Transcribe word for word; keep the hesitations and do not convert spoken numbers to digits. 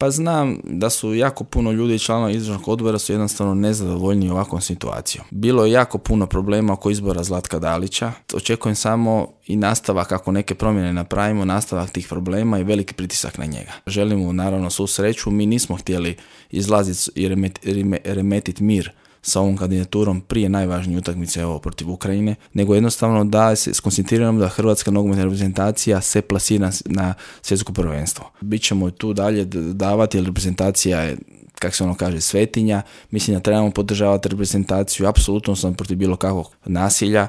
Pa znam da su jako puno ljudi i članova izvršnog odbora su jednostavno nezadovoljni ovakvom situacijom. Bilo je jako puno problema oko izbora Zlatka Dalića. Očekujem samo i nastavak, kako neke promjene napravimo, nastavak tih problema i veliki pritisak na njega. Želimo naravno svu sreću, mi nismo htjeli izlaziti i remetiti mir sa ovom kandidaturom prije najvažnije utakmice evo, protiv Ukrajine, nego jednostavno da se skoncentriramo da hrvatska nogometna reprezentacija se plasira na svjetsko prvenstvo. Bićemo tu dalje davati, jer reprezentacija je, kako se ono kaže, svetinja. Mislim da trebamo podržavati reprezentaciju, apsolutno sam protiv bilo kakvog nasilja,